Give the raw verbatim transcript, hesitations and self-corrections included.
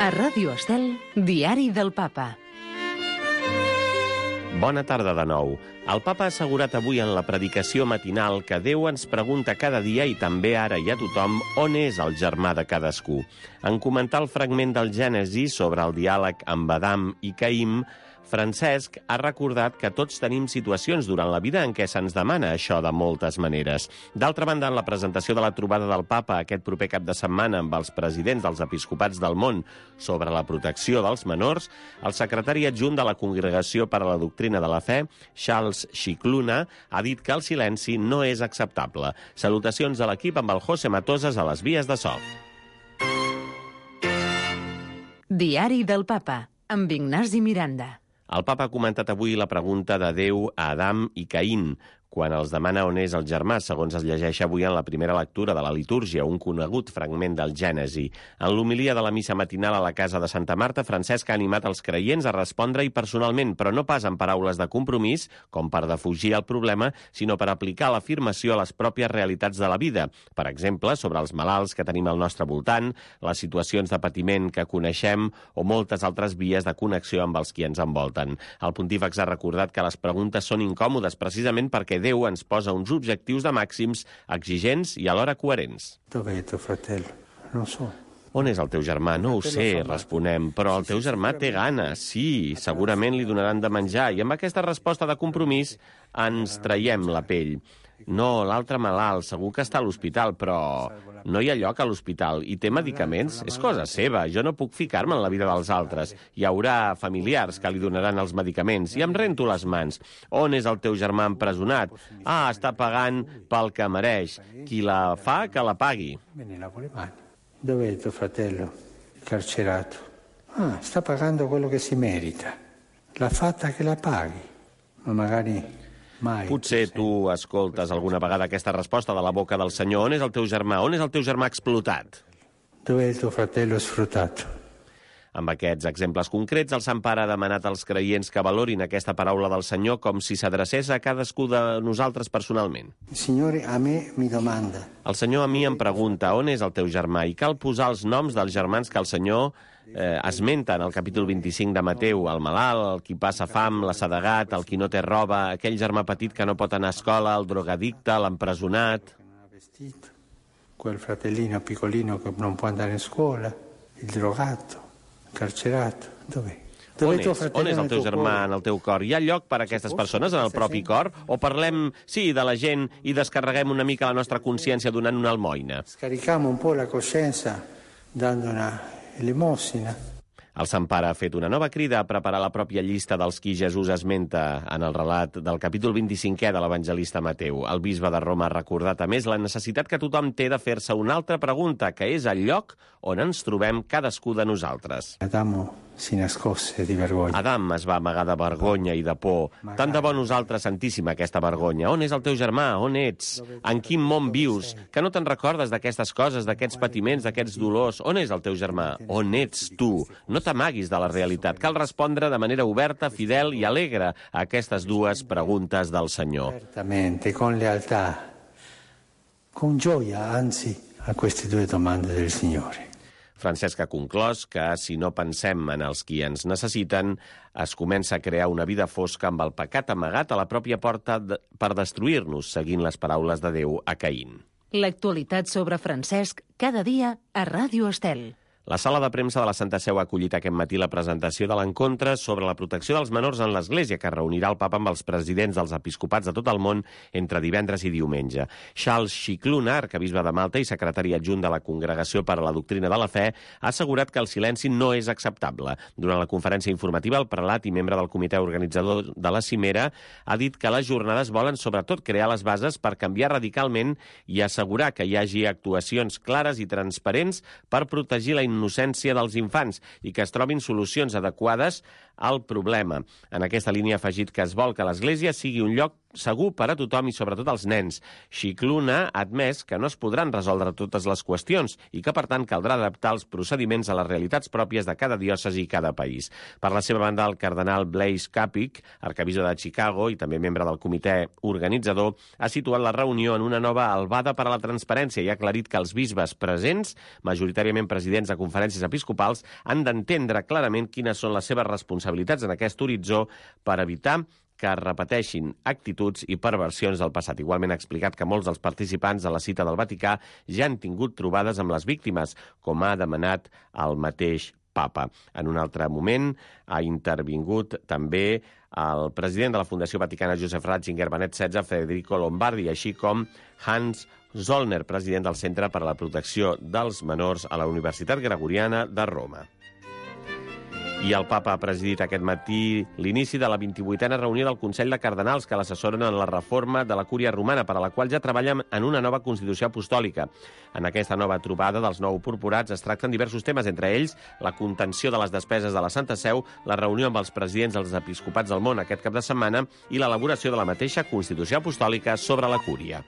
A Ràdio Estel, Diari del Papa. Bona tarda de nou. El Papa ha assegurat avui en la predicació matinal que Déu ens pregunta cada dia, i també ara i a tothom, on és el germà de cadascú. En comentar el fragment del Gènesi sobre el diàleg amb Adam i Caïm, Francesc ha recordat que tots tenim situacions durant la vida en què se'ns demana això de moltes maneres. D'altra banda, en la presentació de la trobada del Papa aquest proper cap de setmana amb els presidents dels episcopats del món sobre la protecció dels menors, el secretari adjunt de la Congregació per a la Doctrina de la Fe, Charles Scicluna, ha dit que el silenci no és acceptable. Salutacions a l'equip amb el José Matosas a les vies de so. Diari del Papa, amb Ignasi Miranda. El Papa ha comentat avui la pregunta de Déu a Adam i Caín, quan els demana on és el germà, segons es llegeix avui en la primera lectura de la litúrgia, un conegut fragment del Gènesi. En l'homilia de la missa matinal a la casa de Santa Marta, Francesc ha animat els creients a respondre-hi personalment, però no pas en paraules de compromís, com per defugir el problema, sinó per aplicar l'afirmació a les pròpies realitats de la vida. Per exemple, sobre els malalts que tenim al nostre voltant, les situacions de patiment que coneixem o moltes altres vies de connexió amb els qui ens envolten. El pontífex ha recordat que les preguntes són incòmodes precisament perquè Déu ens posa uns objectius de màxims exigents i alhora coherents. Dov'è tuo fratello? Non so. On és el teu germà? No ho sé, responem, però el teu germà té gana. Sí, segurament li donaran de menjar. I amb aquesta resposta de compromís ens traiem la pell. No, l'altre malalt, segur que està a l'hospital, però no hi ha lloc a l'hospital i té medicaments. És cosa seva, jo no puc ficar-me en la vida dels altres. Hi haurà familiars que li donaran els medicaments i em rento les mans. On és el teu germà empresonat? Ah, està pagant pel que mereix. Qui la fa, que la pagui. Dov'è il tuo fratello carcerato? Ah, sta pagando quello che si merita. L'ha fatta che la paghi. Ma magari... Mai. Potser tu escoltes alguna vegada aquesta resposta de la boca del Senyor. On és el teu germà? On és el teu germà explotat? Dov'è il tuo fratello sfruttato? Amb aquests exemples concrets, el Sant Pare ha demanat als creients que valorin aquesta paraula del Senyor com si s'adrecés a cadascú de nosaltres personalment. Il Signore a me mi domanda. El Senyor a mi em pregunta on és el teu germà i cal posar els noms dels germans que el Senyor eh, esmenta en el capítol vint-i-cinc de Mateu, el malalt, el qui passa fam, l'assedegat, el qui no té roba, aquell germà petit que no pot anar a escola, el drogadicte, l'empresonat. Quel fratellino piccolino che non può andare in scuola, il drogato. Carcerato, dov'è? On és? On és el teu germà en el teu cor? Hi ha lloc per a aquestes persones en el propi cor? O parlem, sí, de la gent i descarreguem una mica la nostra consciència donant una almoina? Scarichiamo un po' la coscienza dando una elemosina. El Sant Pare ha fet una nova crida a preparar la pròpia llista dels qui Jesús esmenta en el relat del capítol vint-i-cinquè de l'evangelista Mateu. El bisbe de Roma ha recordat, a més, la necessitat que tothom té de fer-se una altra pregunta, que és el lloc on ens trobem cadascú de nosaltres. Adamo si nascosse di vergogna. Adam es va amagar de vergonya i de por. Tant de bo nosaltres sentíssim aquesta vergonya. On és el teu germà? On ets? En quin món vius? Que no te'n recordes d'aquestes coses, d'aquests patiments, d'aquests dolors? On és el teu germà? On ets tu? No t'amaguis de la realitat. Cal respondre de manera oberta, fidel i alegre a aquestes dues preguntes del Senyor. Certamente, con lealtà, con gioia, anzi, a queste due domande del Signore. Francesc ha conclòs que, si no pensem en els qui ens necessiten, es comença a crear una vida fosca amb el pecat amagat a la pròpia porta de... per destruir-nos, seguint les paraules de Déu a Caín. L'actualitat sobre Francesc, cada dia a Ràdio Estel. La sala de premsa de la Santa Seu ha acollit aquest matí la presentació de l'encontre sobre la protecció dels menors en l'Església, que reunirà el Papa amb els presidents dels episcopats de tot el món entre divendres i diumenge. Charles Scicluna, arquebisbe de Malta i secretari adjunt de la Congregació per a la Doctrina de la Fe, ha assegurat que el silenci no és acceptable. Durant la conferència informativa, el prelat i membre del comitè organitzador de la cimera ha dit que les jornades volen sobretot crear les bases per canviar radicalment i assegurar que hi hagi actuacions clares i transparents per protegir la innocència dels infants i que es trobin solucions adequades al problema. En aquesta línia ha afegit que es vol que l'Església sigui un lloc segur per a tothom i sobretot als nens. Scicluna ha admès que no es podran resoldre totes les qüestions i que, per tant, caldrà adaptar els procediments a les realitats pròpies de cada diòcesi i cada país. Per la seva banda, el cardenal Blaise Capich, arquebisbe de Chicago i també membre del comitè organitzador, ha situat la reunió en una nova albada per a la transparència i ha aclarit que els bisbes presents, majoritàriament presidents de conferències episcopals, han d'entendre clarament quines són les seves responsabilitats en aquest horitzó per evitar que es repeteixin actituds i perversions del passat. Igualment ha explicat que molts dels participants de la cita del Vaticà ja han tingut trobades amb les víctimes, com ha demanat el mateix papa. En un altre moment ha intervingut també el president de la Fundació Vaticana Joseph Ratzinger Benet setze, Federico Lombardi, així com Hans Zollner, president del Centre per a la Protecció dels Menors a la Universitat Gregoriana de Roma. I el papa ha presidit aquest matí l'inici de la vint-i-vuitena reunió del Consell de Cardenals que l'assessoren en la reforma de la Cúria Romana, per a la qual ja treballen en una nova Constitució Apostòlica. En aquesta nova trobada dels nou purpurats es tracten diversos temes, entre ells la contenció de les despeses de la Santa Seu, la reunió amb els presidents dels episcopats del món aquest cap de setmana i l'elaboració de la mateixa Constitució Apostòlica sobre la Cúria.